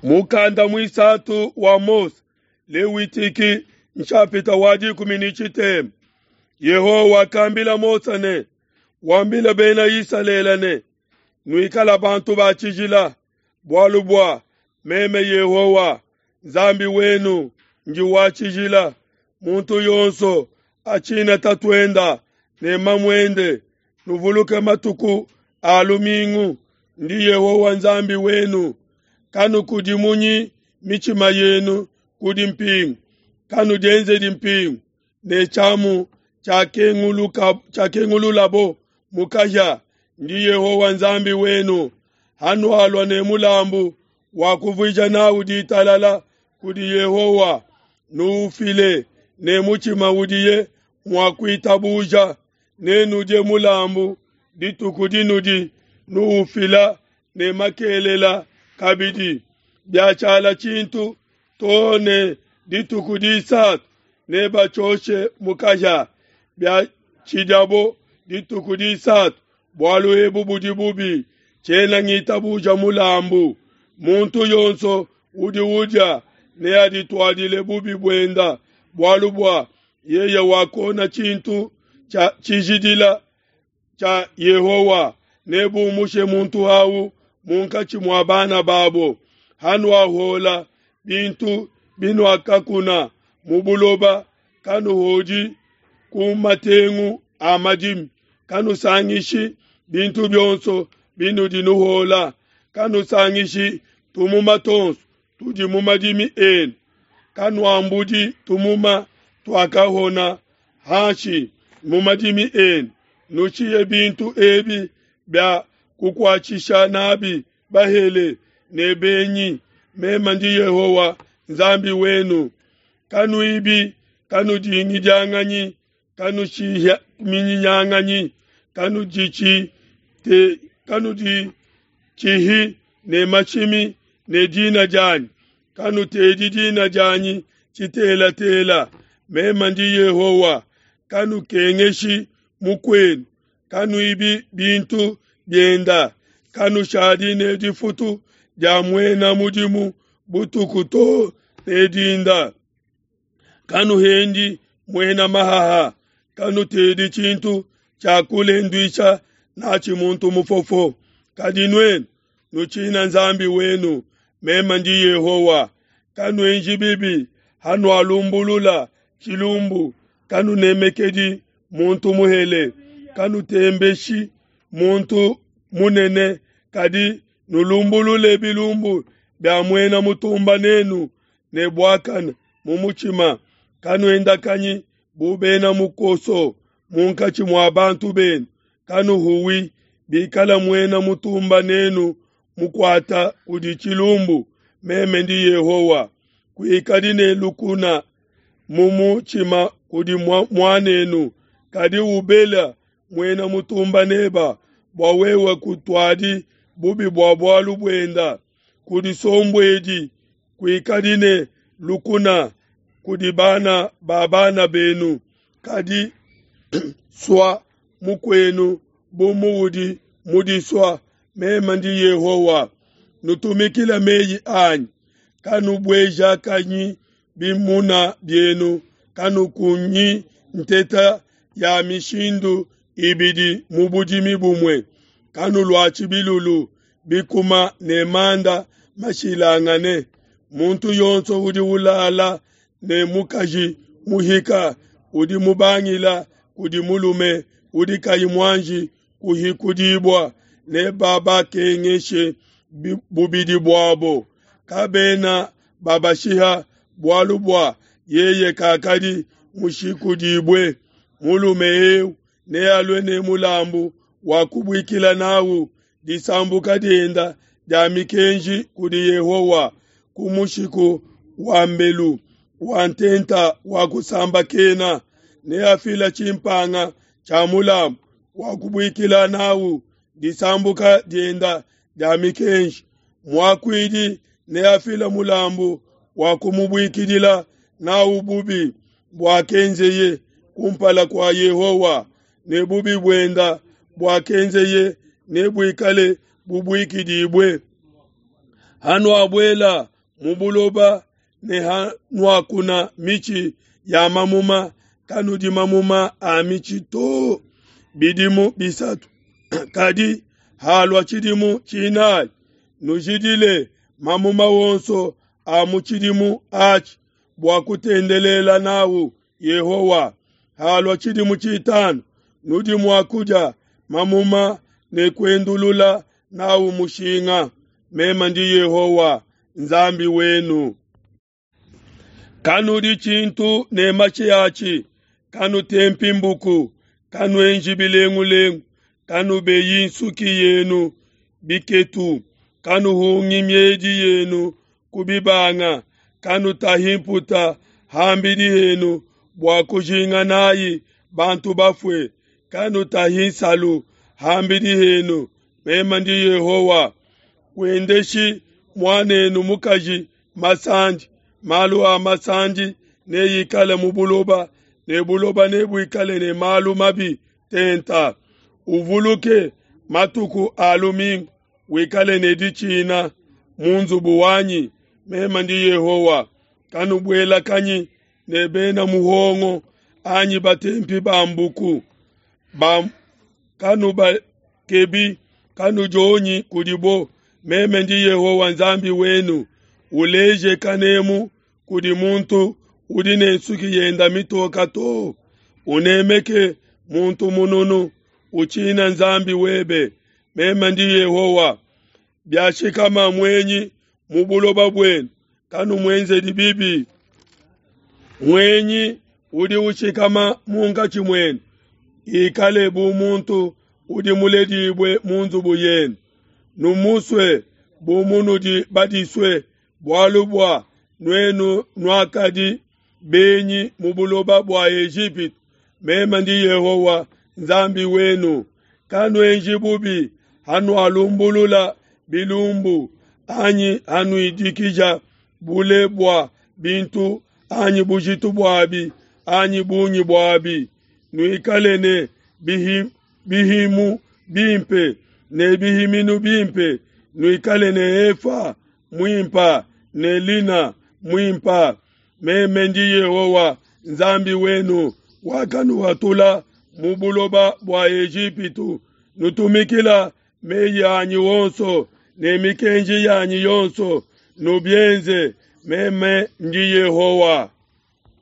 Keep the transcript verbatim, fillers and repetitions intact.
Mukanda mwisatu wa Mose, Lewitiki nshapita wa dikumi ni tshitema. Yehowa wakambila Mose ne, wambila bena Isalele ne, nuikala bantu ba tshijila, bualu bua meme Yehowa Nzambi wenu ndi wa tshijila. Muntu yonso atshina tatuenda ne mamuende, nuvuluke matuku a lumingu, ndi Yehowa Nzambi wenu. Kanukudimunyi mitshima yenu kudi mpingu, kanudienzedi mpingu ne tshiamu tshiakengululabo mu kahia, ndi Yehowa Nzambi wenu. Hanualua ne mulambu wa kuvuija nawu ditalala kudi Yehowa, nuufile ne mutshima udiye mua kuitabuja, nenudie mulambu dituku dinudi nuufila ne makelela kabidi. Biatshiala tshintu too ne dituku disatu nebatshioshe mu kahia. Biatshidiabo dituku disatu, bualu ebu budi bubi, tshiena ngitabuja mulambu. Muntu yonso udi udia neadituadile bubi buenda, bualu bua yeye wakona tshintu tshia tshijidila tshia Yehowa, nebumushe muntu awu munkatshi mua bana babo. Hanuahola bintu binuakakuna mu buloba, kanuhodi ku matengu a madimi, kanusangishi bintu bionso binudi nuhola, kanusangishi tumuma tonso tudi mu madimi enu, kanuambudi tumuma tuakahona hanshi mu madimi enu. Nushiye bintu ebi bia kukuatshisha nabi bahele ne benyi. Meme ndi Yehowa Nzambi wenu. Kanuibi, kanudingidianganyi, kanushiminyinyanganyi, kanudichi te kanudichihi ne mashimi ne dina dianyi, kanutedi dina dianyi tshitelatela. Meme ndi Yehowa. Kanukengeshi mukwenu, kanuibi bintu bienda, kanushadi ne difutu dia muena mudimu butuku too ne dinda, kanuhendi muena mahaha, kanutedi tshintu tshia kulenduisha natshi muntu mufofo. Kadi nuenu nutshina Nzambi wenu, meme ndi Yehowa. Kanuenji bibi hanualumbulula tshilumbu, kanunemekedi muntu muhele, kanutembeshi muntu munene, kadi nulumbulule bilumbu bia muena mutumba nenu ne buakane mu mutshima. Kanuendakanyi bu bena mukoso munkatshi mua bantu benu, kanuhuwi bikala muena mutumba nenu mukuata kudi tshilumbu. Meme ndi Yehowa. Kuikadi ne lukuna mu mutshima kudi muanenu, kadi ubela muena mutumba neba, bua wewe kutuadi bubi bua bualu buenda. Kudisombuedi, kuikadi ne lukuna kudi bana ba bana benu, kadi sua mukwenu bu muudi mudisua. Meme ndi Yehowa. Nutumikile meyi anyi, kanubuejakanyi bimuna bienu, kanukunyi nteta ya mishindu ibidi mu budimi bumue, kanuluatshi bilulu bikuma ne manda mashilangane. Muntu yonso udi ulala ne mukaji muhika udi mubangila kudi mulume udi kayi muanji kuhikudibua, ne babakengeshe bubidi buabo. Kabena babashiha bualu bua yeye kakadi mushikudibue. Mulume eu nealue ne mulambu wa kubuikila nawu disambuka dienda dia mikenji kudi Yehowa ku mushiku wa mbelu wa ntenta wa kusambakena. Neafila tshimpanga tshia mulambu wa kubuikila nawu disambuka dienda dia mikenji. Muakuidi neafila mulambu wa kumubuikidila nawu bubi buakenzeye kumpala kua Yehowa, ne bubi buenda buakenzeye nebuikale bubuikidibue. Hanuabuela mu buloba ne hanuakuna mitshi ya mamuma, kanudi mamuma a mitshi to bidimu bisatu. Kadi halua tshidimu tshinayi, nujidile mamuma wonso a mu tshidimu atshi bua kutendelela nawu Yehowa. Halua tshidimu tshitanu, nudi mua kudia mamuma ne kuendulula nawu mushinga. Meme ndi Yehowa Nzambi wenu. Kanudi tshintu ne matshi atshi, kanutempi mbuku, kanuenji bilengulengu, kanubeyi nsuki yenu biketu, kanuhungi miedi yenu ku bibanga, kanutahi mputa ham'bidi henu bua kujinga nayi bantu bafue, kanutahi nsalu ham'bidi henu. Meme ndi Yehowa. Kuendeshi muanenu mukaji masandi, malu a masandi neikale mu buloba, ne buloba nebuikale ne malu mabi tenta. Uvuluke matuku a lumingu, wikale ne ditshina mu nzubu wanyi. Meme ndi Yehowa. Kanubuelakanyi ne bena muhongo anyi batempi ba mbuku, ba kanubakebi, kanudionyi kudibo. Meme ndi Yehowa Nzambi wenu. Uleje kanemu kudi muntu udi ne nsuki yenda mitoka to. Unemeke muntu mununu, utshina Nzambi webe. Meme ndi Yehowa. Biashikama muenyi mu buloba buenu, kanumuenzedi bibi. Muenyi udi ushikama munkatshi muenu, ikale bu muntu udi muledibue mu nzubu yenu. Numusue bu munudi badisue, bualu bua nuenu nuakadi benyi mu buloba bua Ejipitu. Meme ndi Yehowa Nzambi wenu. Kanuenji bubi hanualumbulula bilumbu, anyi hanuidikija bule bua bintu anyi bujitu buabi anyi bungi buabi. Nuikale ne bihi, bihimu bimpe ne bihiminu bimpe, nuikale ne efa muimpa ne lina muimpa. Meme ndi Yehowa Nzambi wenu wakanuhatula mu buloba bua Ejipitu. Nutumikila meyi anyi wonso ne mikenji yanyi yonso, nubienze. Meme ndi Yehowa.